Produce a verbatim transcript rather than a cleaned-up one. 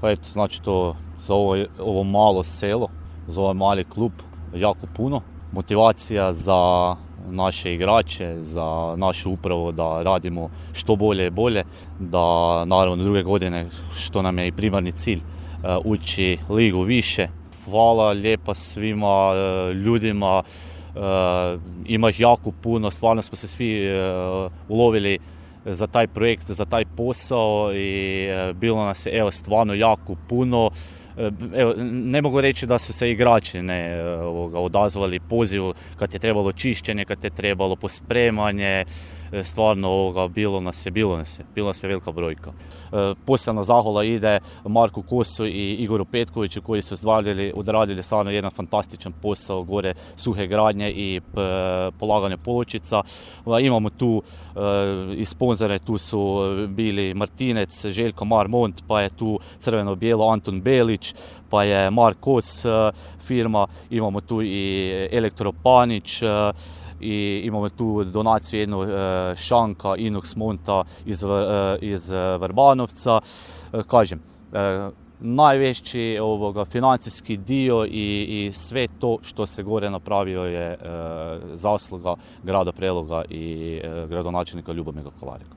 Pa eto, znači to za ovo, ovo malo selo, za ovaj mali klub jako puno. Motivacija za naše igrače, za našu upravu da radimo što bolje i bolje, da naravno druge godine, što nam je i primarni cilj, ući ligu više. Hvala lijepa svima ljudima, ima ih jako puno, stvarno smo se svi ulovili za taj projekt, za taj posao i bilo nas je evo stvarno jako puno. Evo, ne mogu reći da su se igrači ne ovoga, odazvali pozivu kad je trebalo čišćenje, kad je trebalo pospremanje, stvarno ovoga, bilo nas je, bilo nas je, bilo nas je velika brojka. E, posebna zahvala ide Marku Kosu i Igoru Petkoviću koji su odradili, odradili stvarno jedan fantastičan posao gore suhe gradnje i p, polaganje pločica. Imamo tu e, i sponzore, tu su bili Martinec, Željko Marmont, pa je tu crveno-bijelo Anton Belić, pa je Mark Kos firma, imamo tu i Elektropanić, i imamo tu donaciju jednu šanka Inox Monta iz, iz Vrbanovca. Kažem, najveći ovoga financijski dio i, i sve to što se gore napravio je zasluga grada Preloga i gradonačelnika Ljubomira Kolareka.